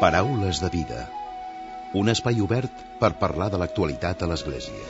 Paraules de vida. Un espai obert per parlar de l'actualitat a l'Església.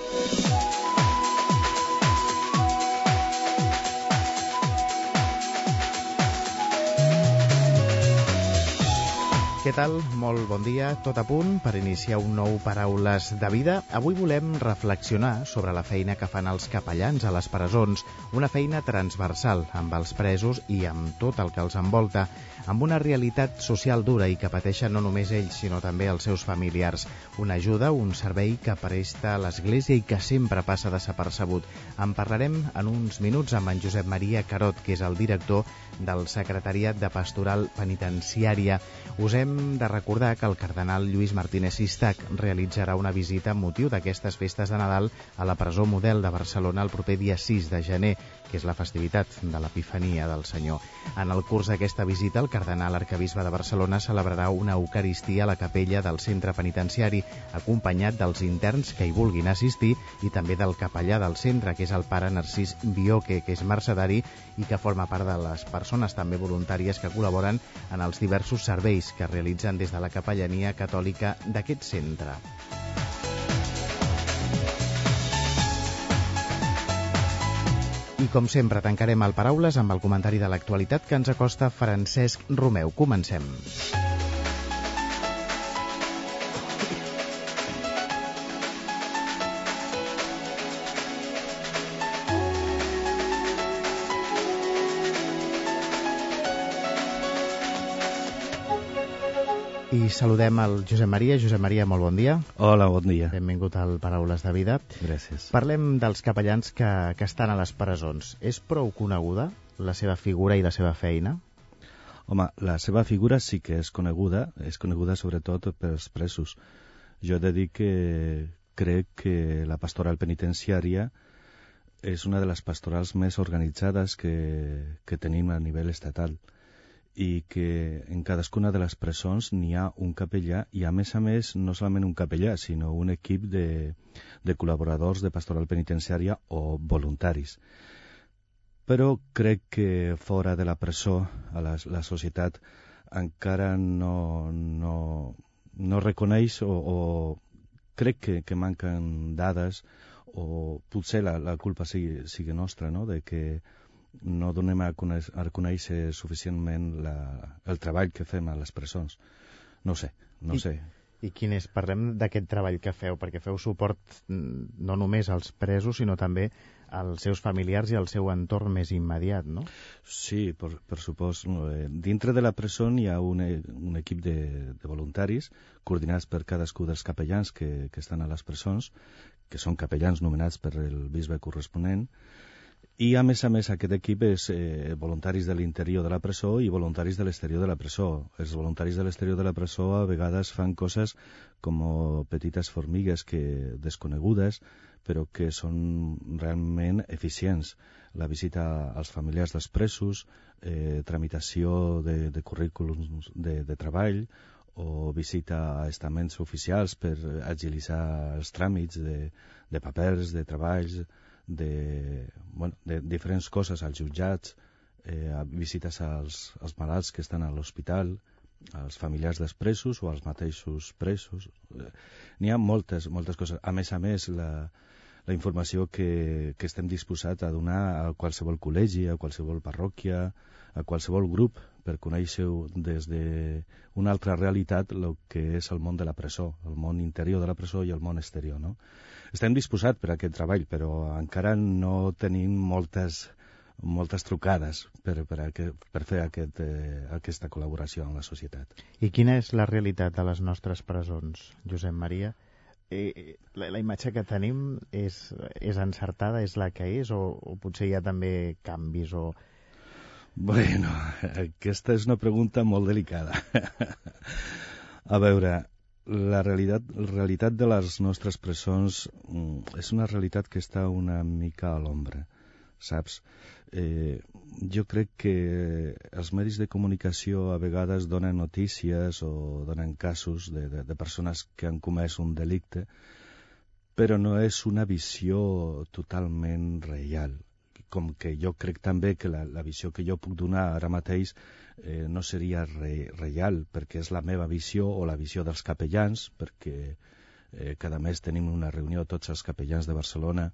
Què tal? Molt bon dia, tot a punt per iniciar un nou Paraules de Vida. Avui volem reflexionar sobre la feina que fan els capellans a les presons, una feina transversal amb els presos i amb tot el que els envolta, amb una realitat social dura i que pateixen no només ells, sinó també els seus familiars. Una ajuda, un servei que presta l'Església i que sempre passa desapercebut. En parlarem en uns minuts amb en Josep Maria Carot, que és el director del Secretariat de Pastoral Penitenciària. Us hem de recordar que el cardenal Lluís Martínez Sistac realitzarà una visita amb motiu d'aquestes festes de Nadal a la presó Model de Barcelona el proper dia 6 de gener, que és la festivitat de l'Epifania del Senyor. En el curs d'aquesta visita, el cardenal arquebisbe de Barcelona celebrarà una eucaristia a la capella del centre penitenciari, acompanyat dels interns que hi vulguin assistir i també del capellà del centre, que és el pare Narcís Bioque, que és mercedari i que forma part de les persones també voluntàries que col·laboren en els diversos serveis que realitzen des de la capellania catòlica d'aquest centre. I com sempre tancarem el Paraules amb el comentari de l'actualitat que ens acosta Francesc Romeu. Comencem. I saludem el Josep Maria. Josep Maria, molt bon dia. Hola, bon dia. Benvingut al Paraules de Vida. Gràcies. Parlem dels capellans que estan a les presons. És prou coneguda la seva figura i la seva feina? Home, la seva figura sí que és coneguda sobretot pels presos. Jo he de dir que crec que la pastoral penitenciària és una de les pastorals més organitzades que tenim a nivell estatal, i que en cadascuna de les presons n'hi ha un capellà i, a més, no solament un capellà, sinó un equip de col·laboradors de pastoral penitenciària o voluntaris. Però crec que fora de la presó, a la societat encara no reconeix o crec que manquen dades, o potser la culpa sigui nostra, no?, de que no donem a conèixer suficientment el treball que fem a les presons. No sé. I quin és? Parlem d'aquest treball que feu, perquè feu suport no només als presos, sinó també als seus familiars i al seu entorn més immediat, no? Sí, per supost. Dintre de la presó hi ha un equip de voluntaris coordinats per cadascú dels capellans que estan a les presons, que són capellans nomenats per el bisbe corresponent. I, a més, aquest equip és voluntaris de l'interior de la presó i voluntaris de l'exterior de la presó. Els voluntaris de l'exterior de la presó a vegades fan coses com petites formigues desconegudes, però que són realment eficients. La visita als familiars dels presos, tramitació de currículums de treball, o visita a estaments oficials per agilitzar els tràmits de papers, de treballs, de diferents coses als jutjats, visites als malalts que estan a l'hospital, als familiars dels presos o als mateixos presos. N'hi ha moltes coses. A més, la informació que estem disposats a donar a qualsevol col·legi, a qualsevol parròquia, a qualsevol grup, per conèixer des d'una altra realitat el que és el món de la presó, el món interior de la presó i el món exterior, no? Estem disposats per a aquest treball, però encara no tenim moltes trucades per fer aquesta col·laboració amb la societat. I quina és la realitat de les nostres presons, Josep Maria? La imatge que tenim és encertada, és la que és, o potser hi ha també canvis? Bueno, aquesta és una pregunta molt delicada. A veure, la realitat de les nostres presons és una realitat que està una mica a l'ombra, saps? Jo crec que els medis de comunicació a vegades donen notícies o donen casos de persones que han comès un delicte, però no és una visió totalment real. com que jo crec també que la visió que jo puc donar ara mateix no seria real, perquè és la meva visió o la visió dels capellans, perquè cada mes tenim una reunió tots els capellans de Barcelona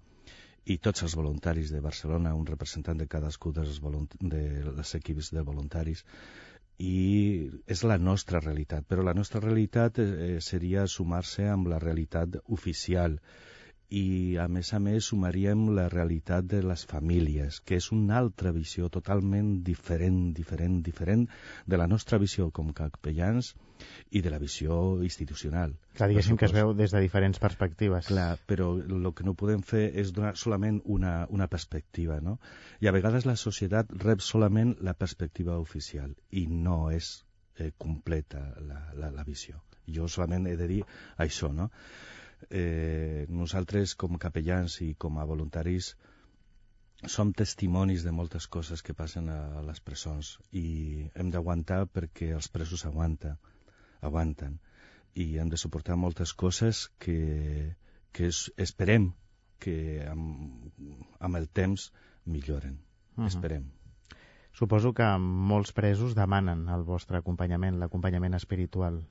i tots els voluntaris de Barcelona, un representant de cadascú dels equips de voluntaris, i és la nostra realitat, però la nostra realitat seria sumar-se amb la realitat oficial, i a més sumaríem la realitat de les famílies, que és una altra visió totalment diferent de la nostra visió com capellans i de la visió institucional. Clar, diguéssim que es veu des de diferents perspectives. Clar, però el que no podem fer és donar solament una perspectiva, no? I a vegades la societat rep solament la perspectiva oficial i no és completa la visió. Jo solament he de dir això, no? Nosaltres com capellans i com a voluntaris som testimonis de moltes coses que passen a les presons i hem d'aguantar perquè els presos aguanten i hem de suportar moltes coses que esperem que amb el temps milloren. Esperem. Suposo que molts presos demanen el vostre acompanyament, l'acompanyament espiritual.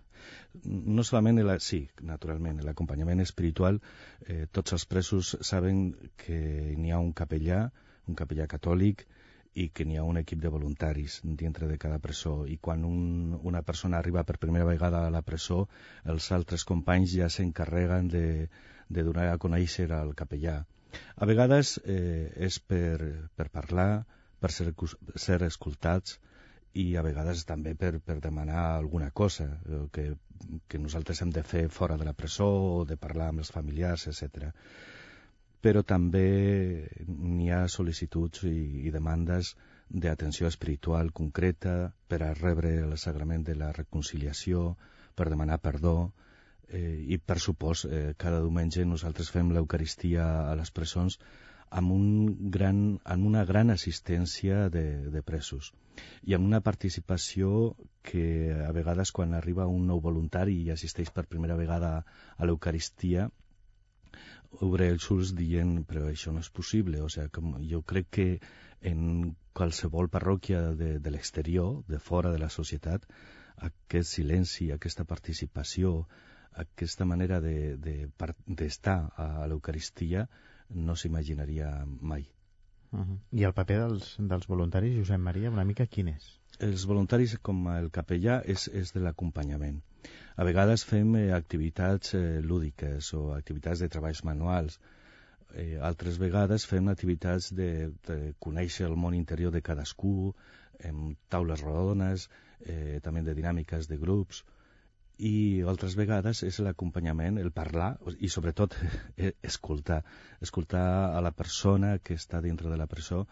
No solament, sí, naturalment, l'acompanyament espiritual. Tots els presos saben que n'hi ha un capellà catòlic, i que n'hi ha un equip de voluntaris dintre de cada presó. I quan una persona arriba per primera vegada a la presó, els altres companys ja s'encarreguen de donar a conèixer al capellà. A vegades és per parlar, per ser escoltats, i a vegades també per demanar alguna cosa que nosaltres hem de fer fora de la presó o de parlar amb els familiars, etc. Però també n'hi ha sol·licituds i demandes d'atenció espiritual concreta per a rebre el sagrament de la reconciliació, per demanar perdó, i per supost cada diumenge nosaltres fem l'Eucaristia a les presons amb una gran assistència de presos i amb una participació que a vegades quan arriba un nou voluntari i assisteix per primera vegada a l'Eucaristia obre els ulls dient però això no és possible, o sigui, jo crec que en qualsevol parròquia de l'exterior, de fora de la societat, aquest silenci, aquesta participació, aquesta manera d'estar a l'Eucaristia no s'imaginaria mai. I el paper dels voluntaris, Josep Maria, una mica quin és? Els voluntaris, com el capellà, és de l'acompanyament. A vegades fem activitats lúdiques o activitats de treballs manuals. Altres vegades fem activitats de conèixer el món interior de cadascú, amb taules rodones, també de dinàmiques de grups, i altres vegades és l'acompanyament, el parlar i sobretot escoltar a la persona que està dintre de la presó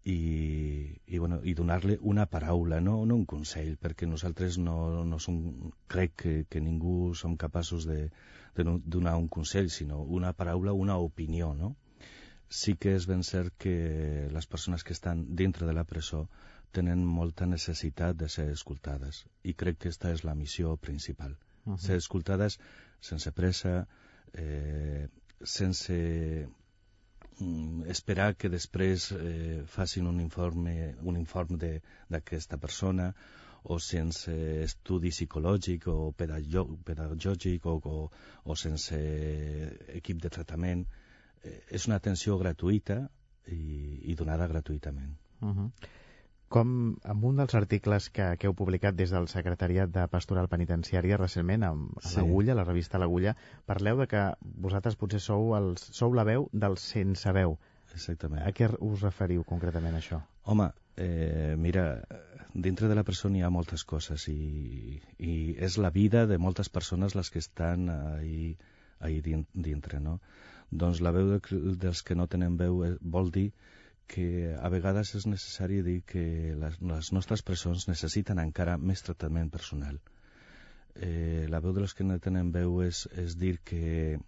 i donar-li una paraula, no un consell, perquè nosaltres no som, crec que ningú som capaços de donar un consell, sinó una paraula, una opinió, no? Sí que és ben cert que les persones que estan dintre de la presó tenen molta necessitat de ser escoltades i crec que aquesta és la missió principal. Ser escoltades sense pressa, sense esperar que després facin un informe d'aquesta persona o sense estudi psicològic o pedagògic o sense equip de tractament. És una atenció gratuïta i donada gratuïtament. Com en un dels articles que heu publicat des del Secretariat de Pastoral Penitenciària recentment a l'Agulla, la revista L'Agulla, parleu de que vosaltres potser sou la veu dels sense veu. Exactament. A què us referiu concretament això? Home, mira, dintre de la presó hi ha moltes coses i és la vida de moltes persones les que estan ahí dintre, no? Doncs la veu dels que no tenen veu vol dir que a vegades és necessari dir que les nostres presons necessiten encara més tractament personal. La veu dels que no tenen veu és dir que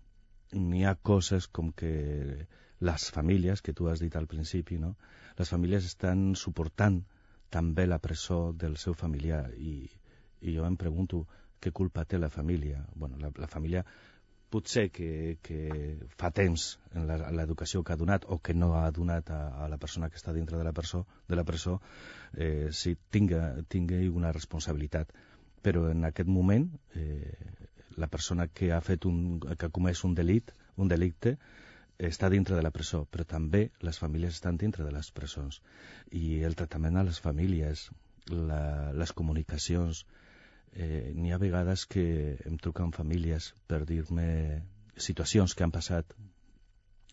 n'hi ha coses com que les famílies, que tu has dit al principi, no? Les famílies estan suportant també la presó del seu familiar i jo em pregunto què culpa té la família. Bueno, la família potser que fa temps en l'educació que ha donat o que no ha donat a la persona que està dintre de la presó sí, tingui una responsabilitat. Però en aquest moment la persona que ha comès un delicte està dintre de la presó, però també les famílies estan dintre de les presons. I el tractament a les famílies, les comunicacions, n'hi ha vegades que em truquen famílies per dir-me situacions que han passat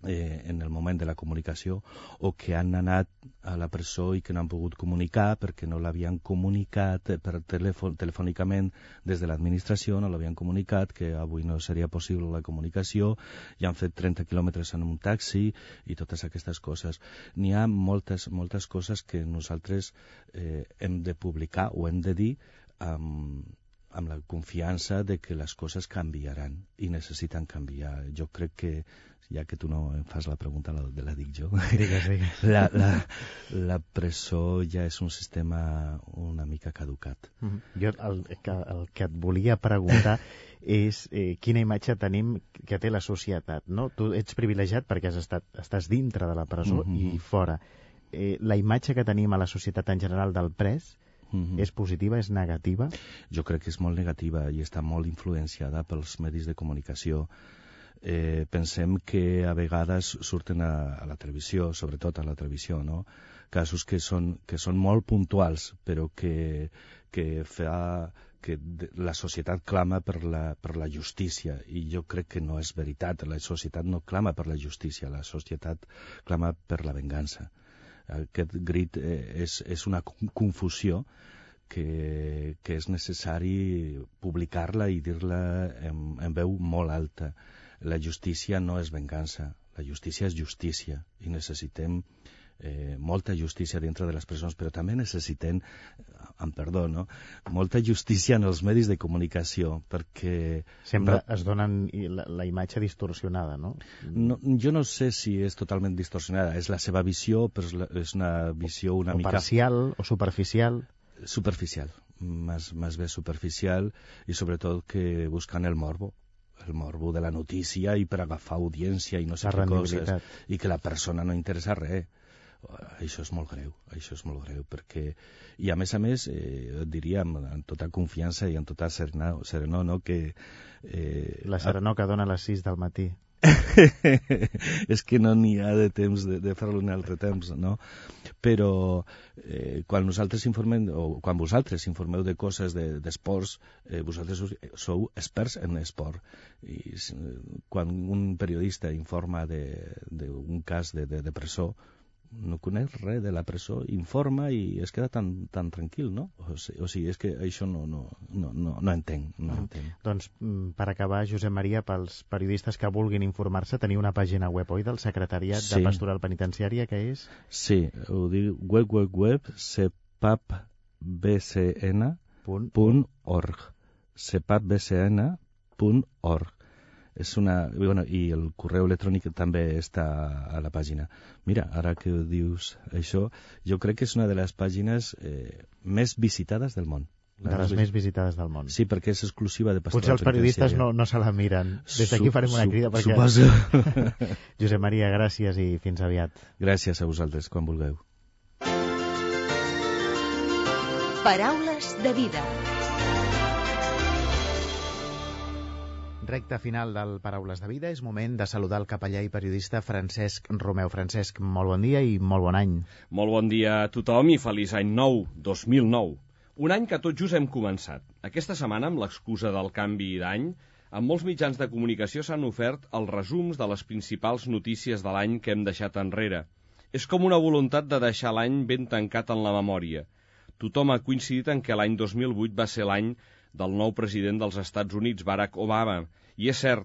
en el moment de la comunicació o que han anat a la presó i que no han pogut comunicar perquè no l'havien comunicat telefònicament des de l'administració, no l'havien comunicat que avui no seria possible la comunicació i han fet 30 quilòmetres en un taxi i totes aquestes coses. N'hi ha moltes coses que nosaltres hem de publicar o hem de dir amb la confiança de que les coses canviaran i necessiten canviar. Jo crec que, ja que tu no em fas la pregunta, la dic jo. Digues. La presó ja és un sistema una mica caducat. Jo el que et volia preguntar és quina imatge tenim que té la societat, no? Tu ets privilegiat perquè estàs dintre de la presó i fora. La imatge que tenim a la societat en general del pres és positiva, és negativa? Jo crec que és molt negativa i està molt influenciada pels medis de comunicació. Pensem que a vegades surten a la televisió, sobretot a la televisió, no? Casos que són molt puntuals, però que fa que la societat clama per la justícia, i jo crec que no és veritat. La societat no clama per la justícia, la societat clama per la vengança. Aquest crit és una confusió que és necessari publicar-la i dir-la en veu molt alta. La justícia no és vengança, la justícia és justícia i necessitem molta justícia dintre de les presons, però també necessitem, amb perdó, no? Molta justícia en els medis de comunicació, perquè... Sempre es donen la imatge distorsionada, no? Jo no sé si és totalment distorsionada, és la seva visió, però és una visió una mica... O parcial, o superficial... Superficial, más bé superficial, i sobretot que buscan el morbo de la notícia i per agafar audiència i no sé què coses, i que la persona no interessa res. Això és molt greu, perquè... I a més, et diria amb tota confiança i amb tota serenor, no?, que... La serenor que dona a les 6 del matí. És que no n'hi ha de temps de fer-lo en altre temps, no? Però quan nosaltres informem, o quan vosaltres informeu de coses d'esports, vosaltres sou experts en esport. I quan un periodista informa d'un cas de presó, no coneix res de la presó, informa i es queda tan tranquil, no? O sigui, és que això no entenc. Doncs, per acabar, Josep Maria, pels periodistes que vulguin informar-se, teniu una pàgina web, oi, del Secretariat de Pastoral Penitenciària, que és? Sí, ho diu cepapbcn.org cepapbcn.org. I el correu electrònic també està a la pàgina. Mira, ara que dius això, jo crec que és una de les pàgines més visitades del món. De les més visitades del món. Sí, perquè és exclusiva de Pastoral Penitenciària. Potser els periodistes no se la miren. Des d'aquí farem una crida perquè... Suposo. Josep Maria, gràcies i fins aviat. Gràcies a vosaltres, quan vulgueu. Paraules de vida. Recte final del Paraules de Vida, és moment de saludar el capellà i periodista Francesc Romeu. Francesc, molt bon dia i molt bon any. Molt bon dia a tothom i feliç any nou, 2009. Un any que tot just hem començat. Aquesta setmana, amb l'excusa del canvi d'any, en molts mitjans de comunicació s'han ofert els resums de les principals notícies de l'any que hem deixat enrere. És com una voluntat de deixar l'any ben tancat en la memòria. Tothom ha coincidit en que l'any 2008 va ser l'any del nou president dels Estats Units, Barack Obama, i és cert,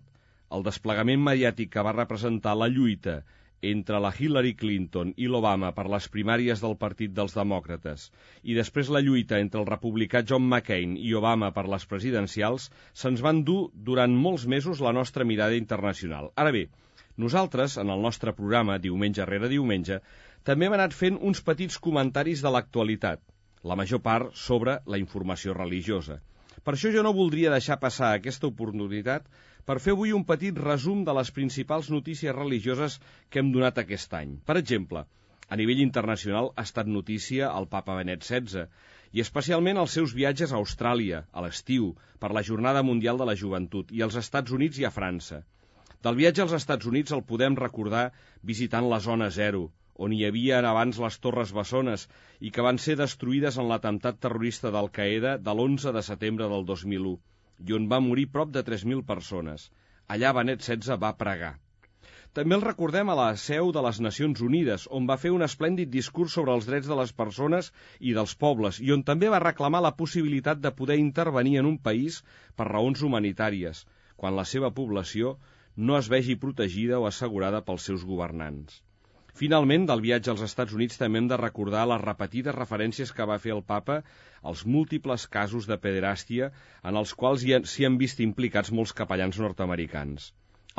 el desplegament mediàtic que va representar la lluita entre la Hillary Clinton i l'Obama per les primàries del Partit dels Demòcrates i després la lluita entre el republicà John McCain i Obama per les presidencials se'ns van dur durant molts mesos la nostra mirada internacional. Ara bé, nosaltres, en el nostre programa, diumenge rere diumenge, també hem anat fent uns petits comentaris de l'actualitat, la major part sobre la informació religiosa. Per això jo no voldria deixar passar aquesta oportunitat per fer avui un petit resum de les principals notícies religioses que hem donat aquest any. Per exemple, a nivell internacional ha estat notícia el papa Benet XVI, i especialment els seus viatges a Austràlia, a l'estiu, per la Jornada Mundial de la Joventut, i als Estats Units i a França. Del viatge als Estats Units el podem recordar visitant la Zona Zero, on hi havia abans les Torres Bessones i que van ser destruïdes en l'atemptat terrorista d'Al-Qaeda de l'11 de setembre del 2001, i on va morir prop de 3.000 persones. Allà Benet XVI va pregar. També el recordem a la seu de les Nacions Unides, on va fer un esplèndid discurs sobre els drets de les persones i dels pobles, i on també va reclamar la possibilitat de poder intervenir en un país per raons humanitàries, quan la seva població no es vegi protegida o assegurada pels seus governants. Finalment, del viatge als Estats Units també hem de recordar les repetides referències que va fer el papa als múltiples casos de pederàstia en els quals s'hi han vist implicats molts capellans nord-americans.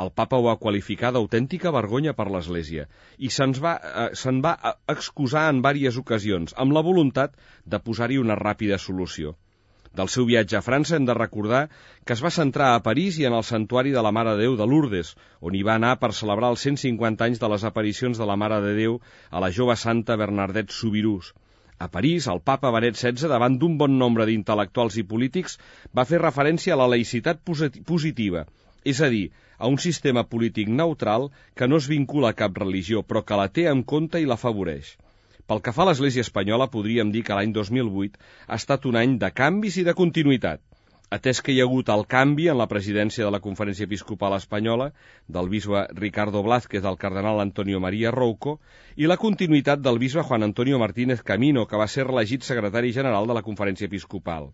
El papa ho va qualificar d'autèntica vergonya per l'Església i se'n va excusar en diverses ocasions, amb la voluntat de posar-hi una ràpida solució. Del seu viatge a França hem de recordar que es va centrar a París i en el santuari de la Mare de Déu de Lourdes, on hi va anar per celebrar els 150 anys de les aparicions de la Mare de Déu a la jove santa Bernadette Soubirous. A París, el papa Benet XVI, davant d'un bon nombre d'intel·lectuals i polítics, va fer referència a la laïcitat positiva, és a dir, a un sistema polític neutral que no es vincula a cap religió, però que la té en compte i l'afavoreix. Pel que fa a l'Església espanyola, podríem dir que l'any 2008 ha estat un any de canvis i de continuïtat, atès que hi ha hagut el canvi en la presidència de la Conferència Episcopal Espanyola, del bisbe Ricardo Blázquez al cardenal Antonio María Rouco, i la continuïtat del bisbe Juan Antonio Martínez Camino, que va ser reelegit secretari general de la Conferència Episcopal.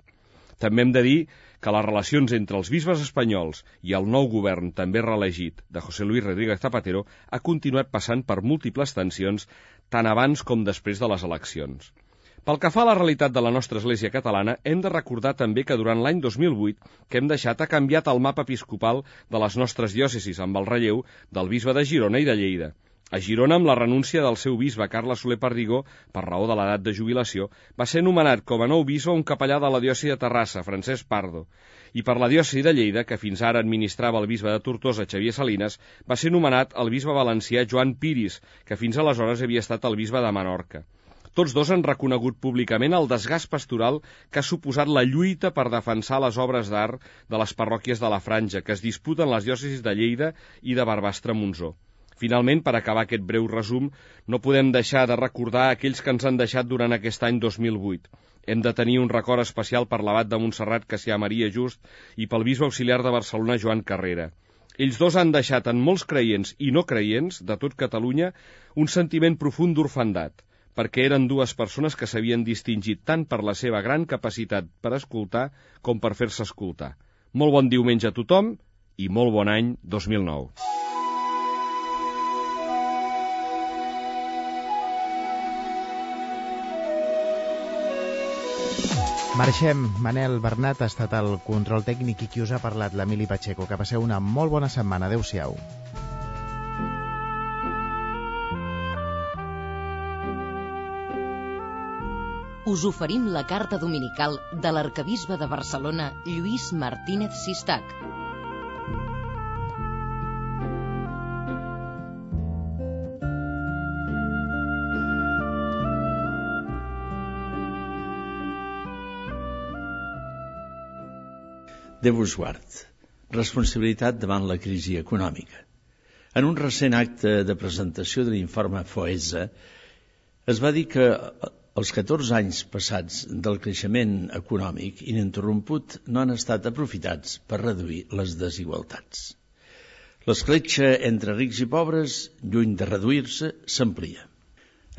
També hem de dir que les relacions entre els bisbes espanyols i el nou govern, també reelegit, de José Luis Rodríguez Zapatero, ha continuat passant per múltiples tensions, tant abans com després de les eleccions. Pel que fa a la realitat de la nostra Església catalana, hem de recordar també que durant l'any 2008 que hem deixat ha canviat el mapa episcopal de les nostres diòcesis, amb el relleu del bisbe de Girona i de Lleida. A Girona, amb la renúncia del seu bisbe, Carles Soler Perdigó, per raó de l'edat de jubilació, va ser nomenat com a nou bisbe un capellà de la diòcesi de Terrassa, Francesc Pardo. I per la diòcesi de Lleida, que fins ara administrava el bisbe de Tortosa, Xavier Salinas, va ser nomenat el bisbe valencià Joan Piris, que fins aleshores havia estat el bisbe de Menorca. Tots dos han reconegut públicament el desgast pastoral que ha suposat la lluita per defensar les obres d'art de les parròquies de la Franja, que es disputen les diòcesis de Lleida i de Barbastre-Montsó. Finalment, per acabar aquest breu resum, no podem deixar de recordar aquells que ens han deixat durant aquest any 2008. Hem de tenir un record especial per l'abat de Montserrat Cassià Maria Just i pel bisbe auxiliar de Barcelona Joan Carrera. Ells dos han deixat en molts creients i no creients de tot Catalunya un sentiment profund d'orfandat, perquè eren dues persones que s'havien distingit tant per la seva gran capacitat per escoltar com per fer-se escoltar. Molt bon diumenge a tothom i molt bon any 2009. Marxem. Manel Bernat ha estat el control tècnic i qui us ha parlat, l'Emili Pacheco. Que passeu una molt bona setmana. Adéu-siau. Us oferim la carta dominical de l'arquebisbe de Barcelona, Lluís Martínez Sistac. Déu us guard. Responsabilitat davant la crisi econòmica. En un recent acte de presentació de l'informe FOESA es va dir que els 14 anys passats del creixement econòmic ininterromput no han estat aprofitats per reduir les desigualtats. L'escletxa entre rics i pobres, lluny de reduir-se, s'amplia.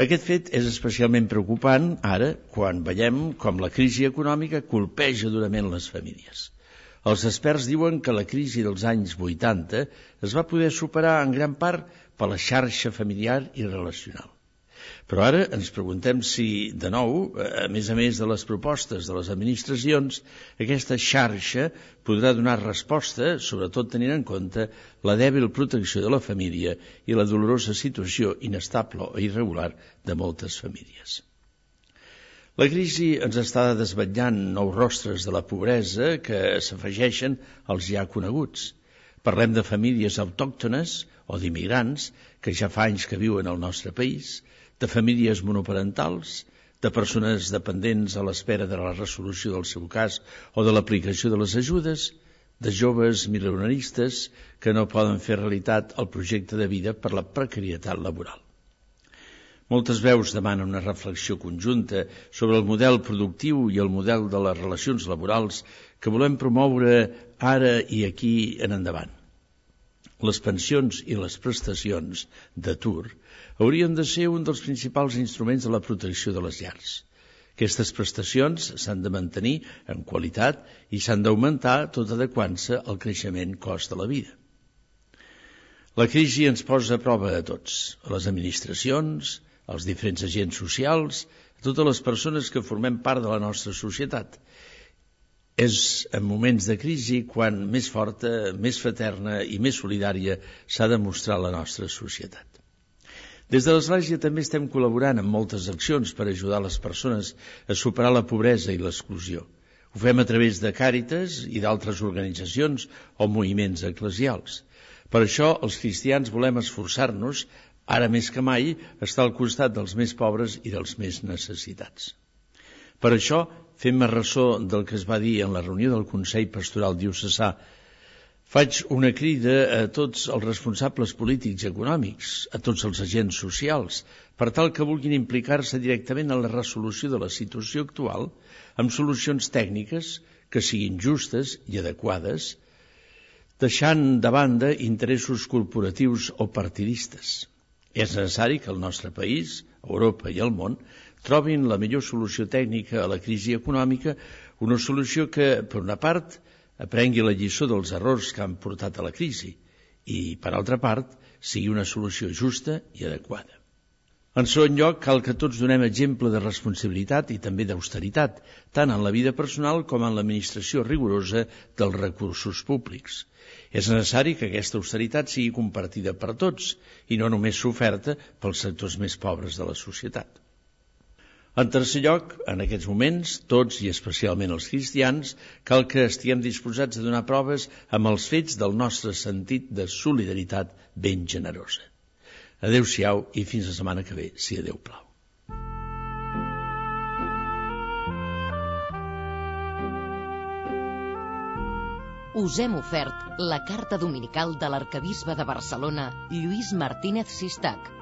Aquest fet és especialment preocupant ara quan veiem com la crisi econòmica colpeja durament les famílies. Els experts diuen que la crisi dels anys 80 es va poder superar en gran part per la xarxa familiar i relacional. Però ara ens preguntem si, de nou, a més de les propostes de les administracions, aquesta xarxa podrà donar resposta, sobretot tenint en compte la dèbil protecció de la família i la dolorosa situació inestable o irregular de moltes famílies. La crisi ens està desvetllant nous rostres de la pobresa que s'afegeixen als ja coneguts. Parlem de famílies autòctones o d'immigrants que ja fa anys que viuen al nostre país, de famílies monoparentals, de persones dependents a l'espera de la resolució del seu cas o de l'aplicació de les ajudes, de joves milionaristes que no poden fer realitat el projecte de vida per la precarietat laboral. Moltes veus demanen una reflexió conjunta sobre el model productiu i el model de les relacions laborals que volem promoure ara i aquí en endavant. Les pensions i les prestacions d'atur haurien de ser un dels principals instruments de la protecció de les llars. Aquestes prestacions s'han de mantenir en qualitat i s'han d'augmentar tot adequant-se al creixement cost de la vida. La crisi ens posa a prova a tots, a les administracions, als diferents agents socials, a totes les persones que formem part de la nostra societat. És en moments de crisi quan més forta, més fraterna i més solidària s'ha de mostrar la nostra societat. Des de l'Església també estem col·laborant en moltes accions per ajudar les persones a superar la pobresa i l'exclusió. Ho fem a través de Càritas i d'altres organitzacions o moviments eclesials. Per això, els cristians volem esforçar-nos, ara més que mai, estar al costat dels més pobres i dels més necessitats. Per això, fem ressò del que es va dir en la reunió del Consell Pastoral Diocesà. Faig una crida a tots els responsables polítics i econòmics, a tots els agents socials, per tal que vulguin implicar-se directament en la resolució de la situació actual amb solucions tècniques que siguin justes i adequades, deixant de banda interessos corporatius o partidistes. És necessari que el nostre país, Europa i el món trobin la millor solució tècnica a la crisi econòmica, una solució que, per una part, aprengui la lliçó dels errors que han portat a la crisi i, per altra part, sigui una solució justa i adequada. En segon lloc, cal que tots donem exemple de responsabilitat i també d'austeritat, tant en la vida personal com en l'administració rigorosa dels recursos públics. És necessari que aquesta austeritat sigui compartida per tots i no només soferta pels sectors més pobres de la societat. En tercer lloc, en aquests moments, tots i especialment els cristians, cal que estiguem disposats a donar proves amb els fets del nostre sentit de solidaritat ben generosa. Adéu-siau i fins la setmana que ve, si Déu plau. Us hem ofert la carta dominical de l'arquebisbe de Barcelona, Lluís Martínez Sistac.